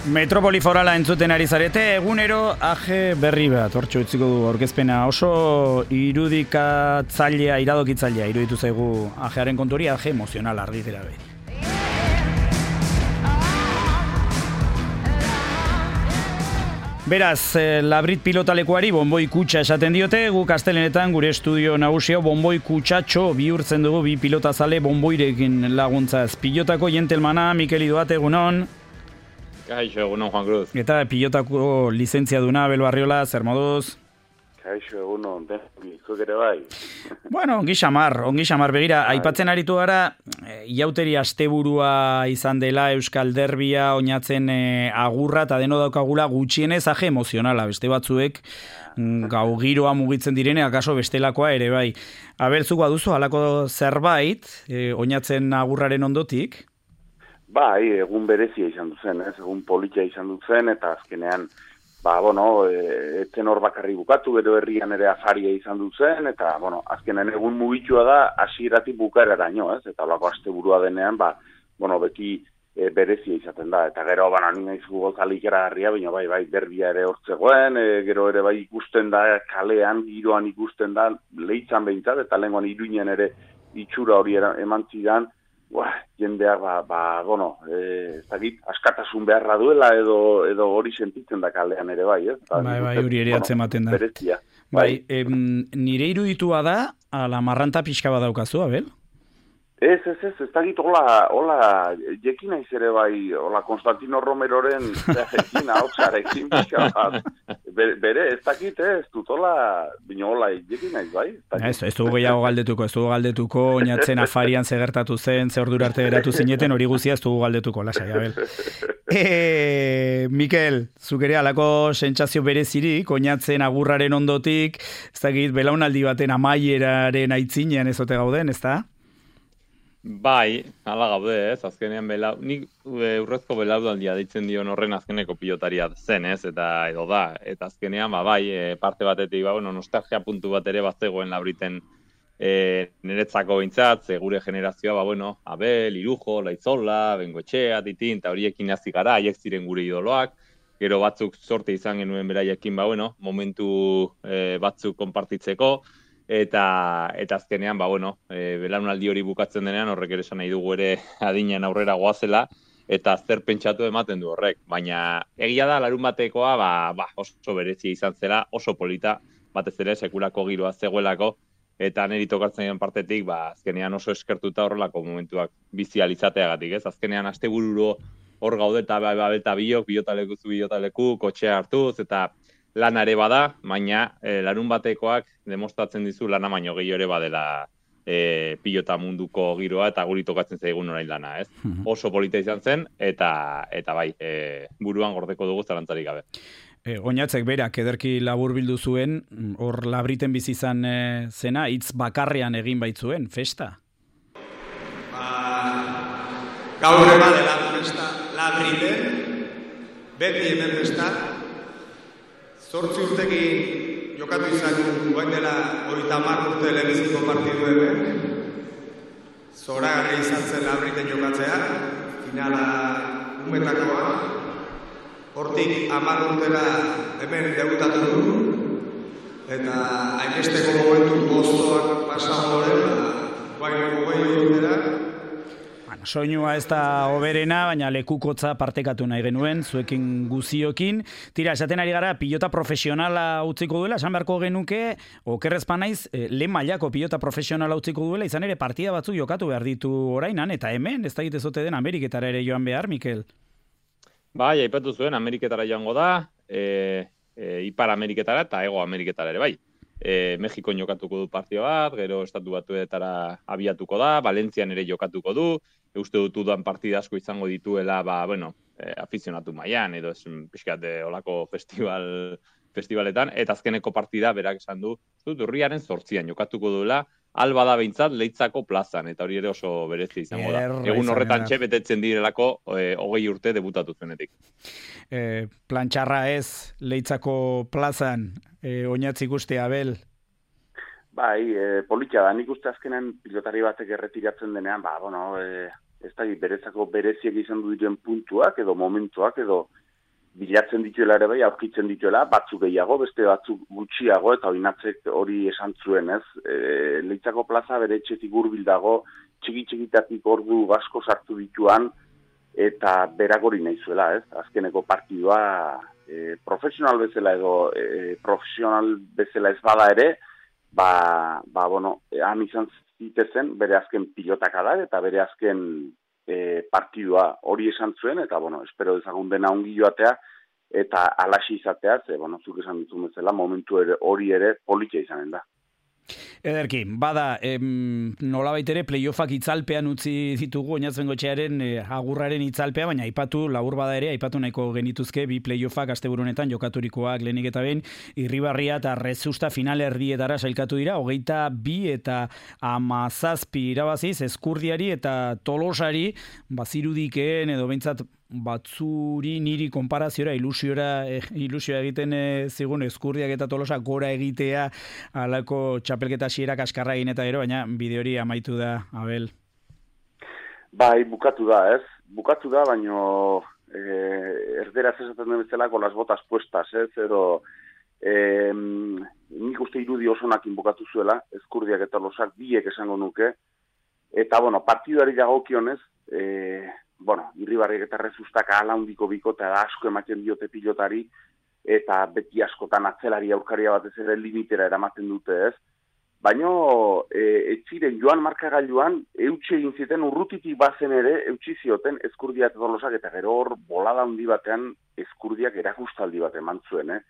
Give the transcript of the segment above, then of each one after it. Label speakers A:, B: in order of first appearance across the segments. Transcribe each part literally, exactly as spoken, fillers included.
A: Metropoli Forala entzuten ari zarete, egunero age berri bat, hortxo utziko du aurkezpena oso irudikatzailea, iradokitzailea, iruditu zaigu ajearen konturi, age emozional argi gara behi. Beraz, Labrit pilotalekuari bonboi kutxa esaten diote, guk astelenetan gure estudio nagusio bonboi kutxatxo bihurtzen dugu bi pilotazale bonboirekin laguntzaz. Pilotako jentelmana, Mikel Idoate, egunon.
B: Kaixo, egunon, Juan Cruz.
A: Eta pilotako lizentzia duna, Abel Barriola, zer moduz?
C: Kaixo, egunon, denizuk ere bai.
A: Bueno, ongi xamar, ongi xamar, begira, aipatzen aritu gara, iauteri asteburua izan dela Euskal Derbia, oinatzen e, agurra, eta deno daukagula gutxienez aje emozionala, beste batzuek gau giroa mugitzen direne, akaso bestelakoa ere bai. Abel, zuk baduzu, halako zerbait, e, oinatzen agurraren ondotik?
C: Bai, egun berezia izan duzen, ez? Egun politia izan duzen, eta azkenean, ba, bueno, e, etzen hor bakarri bukatu, gero herrian ere afaria izan duzen, eta, bueno, azkenean egun mugitua da, hasieratik bukaeraraino, ez? Eta holako asteburua denean, ba, bueno, beti e, berezia izaten da, eta gero, bana, nina izugu gozalik eragarria, baina bai, bai, derbia ere hortzegoen, e, gero ere bai ikusten da, kalean, giroan ikusten da, lehitzan behintzat, eta lehenkoan Iruinen ere itxura hori eman zidan, Buah, jendeak, ba, ba, bueno, e, ez dakit, askatasun beharra duela edo edo hori sentitzen da kalean ere bai, ez?
A: Bai, bai, hori ere atzematen da.
C: Berezia.
A: Bai, bai em, nire iruditua da, ala marranta pixka bat daukazu, Abel?
C: Ez, ez, ez, ez dakit, hola, hola, jekin naiz ere bai, hola, Konstantino Romeroren jekin, hautsarekin pixka bat. Bere, ez dakit, ez dut, hola, bino, hola, jekin naiz bai?
A: Ez, ez dugu gehiago galdetuko, ez dugu galdetuko, oinatzen afarian zegertatu zen, ze ordura arte geratu zineten, hori guzia ez dugu galdetuko, lasai, Abel. E, Mikel, zuk ere alako sentsazio berezirik, oinatzen agurraren ondotik, ez dakit, belaunaldi baten amaieraren aitzinean ezote gauden, ez da?
B: Bai, hala gaude, ez, azkenean belau, nik urrezko belaudaldia deitzen dion horren azkeneko pilotaria zen, ez, eta edo da, eta azkenean, ba, bai, e, parte batetik, ba, bueno, nostalgia puntu bat ere bazegoen Labriten e, niretzako behintzat, ze gure generazioa, ba, bueno, Abel, Irujo, Laitzola, Bengoetxea, Titin, eta horiekin hasi gara, haiek ziren gure idoloak, gero batzuk sorte izan genuen beraiekin, ba, bueno, momentu e, batzuk konpartitzeko, Eta, eta azkenean, ba, bueno, e, belaunaldi hori bukatzen denean, horrek ere esan nahi dugu ere adinean aurrera goazela, eta zer pentsatu ematen du horrek. Baina egia da, larun batekoa, ba, ba, oso berezia izan zela, oso polita, batez ere sekulako giroa zegoelako, eta niri tokatzen den partetik, ba, azkenean oso eskertuta horrelako momentuak bizializateagatik, ez? Azkenean astebururo hor gaude eta ba, ba, eta biok, bilotaleku zu bilotaleku, kotxea hartuz, eta lana ere bada, baina e, larun batekoak demostratzen dizu lana baino gehiago ere badela e, pilota munduko giroa eta guri tokatzen zaigun orain lana, ez? Mm-hmm. Oso polita izan zen, eta eta bai, e, buruan gordeko dugu zalantzarik gabe.
A: E, Oinatzek berak ederki labur bildu zuen, hor Labriten bizi izan e, zena, hitz bakarrean egin baitzuen, festa?
D: Ba, gaur ema dela festa Labriten, beti hemen festa, Zortzi urtekin jokatu izan guain dela hogeita hamar urte lehenbiziko partidu hemen. Zoragarria izan zen Labriten jokatzea, finala umetakoa. Hortik hamar urtera hemen debutatu du. Eta hainbesteko momentu gozoak pasago horren, guain gogei urtera.
A: Soinua ez da oberena, baina lekukotza partekatu nahi genuen, zuekin guziokin. Tira, esaten ari gara, pilota profesionala utziko duela, esan beharko genuke, okerrezpa naiz, lehen mailako pilota profesionala utziko duela, izan ere partida batzuk jokatu behar ditu orainan, eta hemen, ez da egitezote den Ameriketara ere joan behar, Mikel?
B: Bai, aipatu zuen, Ameriketara joango da, e, e, Ipar Ameriketara eta Hego Ameriketara ere, bai. E, Mexikon jokatuko du partio bat, gero Estatu Batuetara abiatuko da, Valentzian ere jokatuko du, uste dut udan partida asko izango dituela, ba, bueno, e, afizionatu mailan edo ez pixkat olako festival, festivaletan, eta azkeneko partida berak esan du, dut urriaren zortzian jokatuko duela, alba da behintzat Leitzako plazan, eta hori ere oso berezi izango da. Egun horretan txe betetzen direlako e, hogei urte debutatu zuenetik.
A: E, plantxarra ez Leitzako plazan, e, oinatzik uste, Abel?
C: Bai, e, politia da, nik uste azkenean pilotari batek erretiratzen denean, ba, bueno, e, ez da, berezako bereziak izan du diren puntuak, edo momentuak, edo bilatzen dituela ere bai, aurkitzen dituela, batzuk gehiago, beste batzuk gutxiago, eta Oinatzek hori esan zuen, ez? E, Leitzako plaza bere etxetik hurbil dago, txiki-txikitatik ordu asko sartu dituan, eta berak hori nahi zuela, ez? Azkeneko partidua e, profesional bezala edo e, profesional bezala ez bada ere, ba, ba bueno, han izan zitezen bere azken pilotakada eta bere azken e, partidua hori esan zuen, eta, bueno, espero dezagun dena ongi joatea, eta alaxi izatea, ze, bueno, zuk esan ditun bezala, momentu ere, hori ere politia izanen da.
A: Ederki, bada, em, nolabait ere playoffak itzalpean utzi ditugu Oñatzengotxearen e, agurraren itzalpea, baina aipatu labur bada ere, aipatu nahiko genituzke bi playoffak asteburunetan jokaturikoak lehenik eta behin, Irribarria eta Rezusta final erdietara sailkatu dira, hogeita bi eta hamazazpi irabaziz, Ezkurdiari eta Tolosari, bazirudikeen edo behintzat batzuri niri konparaziora, ilusiora, eh, ilusioa egiten eh, zigun Ezkurdiak eta Tolosa gora egitea alako txapelketa xierak askarra egin eta gero, baina bide hori amaitu da, Abel.
C: Bai, bukatu da, ez? Bukatu da, baino eh, erderaz esaten den bezala con las botas puestas, ez? Edo eh, nik uste irudi osonakin bukatu zuela, Ezkurdiak eta Tolosak biek esango nuke, eta, bueno, partiduari dagokionez, eh, bueno, Irribarriak eta Rezustak ahala handiko bikota da asko ematen diote pilotari, eta beti askotan atzelari aurkaria batez ere limitera eramaten dute, ez? Baina e, etziren joan markagailuan, eutxe egin ziten urrutitik bazen ere, eutxi zioten Ezkurdia eta Tolosak, eta gero hor bolada handi batean Ezkurdiak erakustaldi bat eman zuen, eh?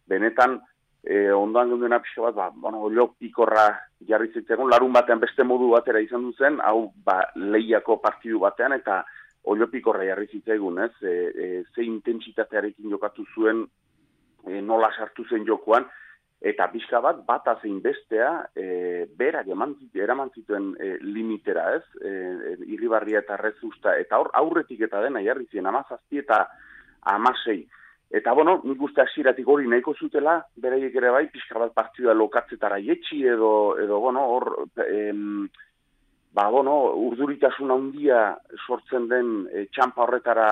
C: Benetan, e, ondoan geundena pixo bat, ba, bueno, olio pikorra jarri zitzegon, larun batean beste modu batera izan duzen, hau ba, lehiako partidu batean, eta oliopikorra jarri zitzaigun, ez? E, e, ze intentsitatearekin jokatu zuen, e, nola sartu zen jokoan, eta pixka bat, bata zein bestea, e, berak eman zituen, eraman zituen e, limitera, ez? E, e, Irribarria eta Rezusta, eta hor aurretik eta dena jarri ziren, amazazpi eta amasei. Eta, bueno, nik uste hasieratik hori nahiko zutela, beraiek ere bai, pixka bat partida lokatzetara jetxi, edo, edo bueno, hor... Em, Ba, bueno, urduritasun handia sortzen den e, txampa horretara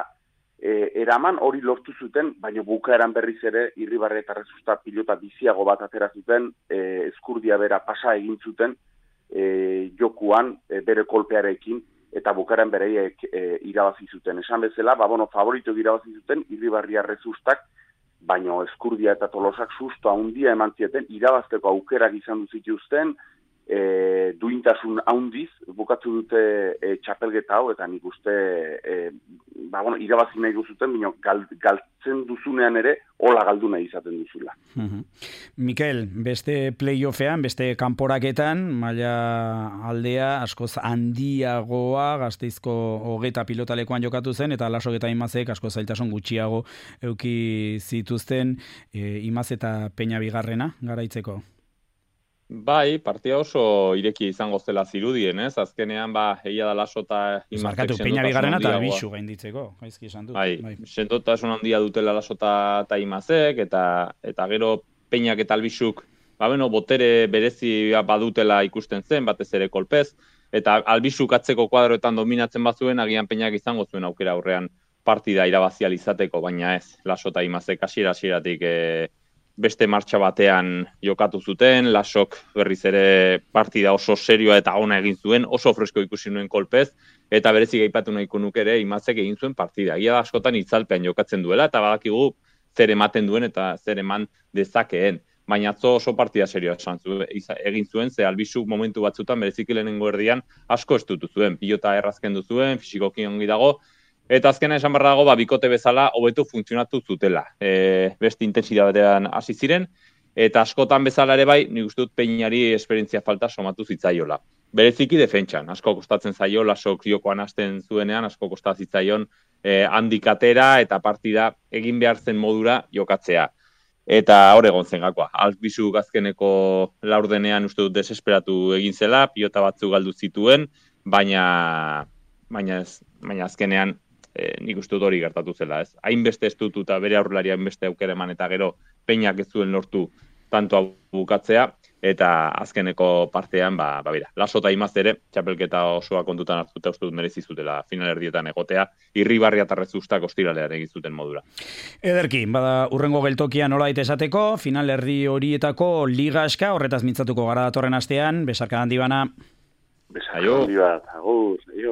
C: e, eraman, hori lortu zuten, baina bukaeran berriz ere Irribarria eta Rezusta pilota biziago bat atera zuten, e, Ezkurdia bera pasa egin zuten e, jokuan e, bere kolpearekin, eta bukaeran bereiek e, irabazi zuten. Esan bezala, ba, bueno, favorito irabazi zuten Irribarria Rezustak, baina Ezkurdia eta Tolosak susto handia eman zieten, irabazteko aukerak izan duzituzten, E, duintasun handiz, bukatu dute e, txapelgeta hau, eta nik uste e, ba, bueno, irabazi nahi duzuten, bino, gal, galtzen duzunean ere, hola galdu nahi izaten duzula.
A: Uh-huh. Mikel, beste playoffean, beste kanporaketan, maila aldea askoz handiagoa, Gasteizko hogeta pilotalekuan jokatu zen, eta Lasok eta Imazek asko zailtasun gutxiago euki zituzten, e, Imaz eta Peña bigarrena garaitzeko.
B: Bai, partida oso ireki izango zela zirudien, ez? Azkenean, ba, egia da Laso eta
A: Imazek Peña bigarrena eta Bixu gainditzeko, gaizki esan dut.
B: Bai,
A: bai.
B: sendotasun handia dutela Laso eta Imazek, eta, eta gero Peñak eta Albixuk, ba, beno, botere berezi badutela ikusten zen, batez ere kolpez, eta Albixuk atzeko kuadroetan dominatzen bazuen, agian Peñak izango zuen aukera aurrean partida irabazial izateko, baina ez, Laso eta Imazek hasiera-hasieratik e, beste martxa batean jokatu zuten, Lasok berriz ere partida oso serioa eta ona egin zuen, oso fresko ikusi nuen kolpez, eta berezik aipatu nahiko nuke ere Imazek egin zuen partida. Ia da askotan itzalpean jokatzen duela, eta badakigu zer ematen duen eta zer eman dezakeen. Baina atzo oso partida serioa esan zuen, egin zuen, ze Albixuk momentu batzutan bereziki lehenengo erdian asko estutu zuen, pilota errazkendu zuen, fisikoki ongi dago, eta azkena esan behar dago, ba, bikote bezala hobetu funtzionatu zutela. E, beste intentsitatean hasi ziren, eta askotan bezala ere bai, nik uste dut Peñari esperientzia falta somatu zitzaiola. Bereziki defentsan, asko kostatzen zaio, Lasok jokoan hasten zuenean, asko kostatzen zitzaion e, handikatera eta partida egin behar zen modura jokatzea. Eta hor egon zen gakoa. Albixuk azkeneko laurdenean uste dut desesperatu egin zela, pilota batzu galdu zituen, baina, baina, ez, baina azkenean E, nik uste dut hori gertatu zela, ez? Hainbeste estututa bere aurrelaria hainbeste aukera eman eta gero Peñak ez zuen lortu tantoa bukatzea, eta azkeneko partean, ba, ba bera, Laso eta Imaz ere, txapelketa osoa kontutan hartuta uste dut merezi zutela final erdietan egotea, Irribarri eta Rezustak ostiralean egin zuten modura.
A: Ederki, bada urrengo geltokia nola daite esateko, final erdi horietako liga eska, horretaz mintzatuko gara datorren astean, besarka handi bana.
C: Besarka handi bat, agur,